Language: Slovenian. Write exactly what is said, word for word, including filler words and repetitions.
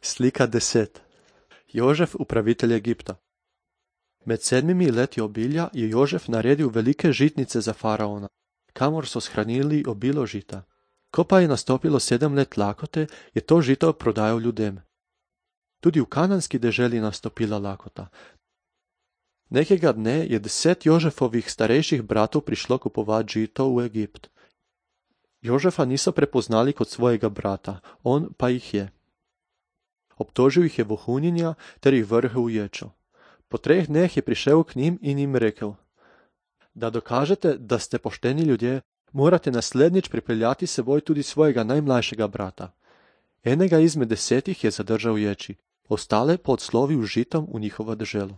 Slika deset. Jožef, upravitelj Egipta. Med sedmimi leti obilja je Jožef naredil velike žitnice za faraona, kamor so shranili obilo žita. Ko pa je nastopilo sedem let lakote, je to žito prodajal ljudem. Tudi v kananski deželi nastopila lakota. Nekega dne je deset Jožefovih starejših bratov prišlo kupovati žito v Egipt. Jožefa niso prepoznali kot svojega brata, on pa jih je. Obtožil jih je vohunjenja ter jih vrgel v ječo. Po treh dneh je prišel k njim in jim rekel: Da dokažete, da ste pošteni ljudje, morate naslednjič pripeljati seboj tudi svojega najmlajšega brata. Enega izmed desetih je zadržal v ječi, ostale pa odslovil z žitom v njihovo deželo.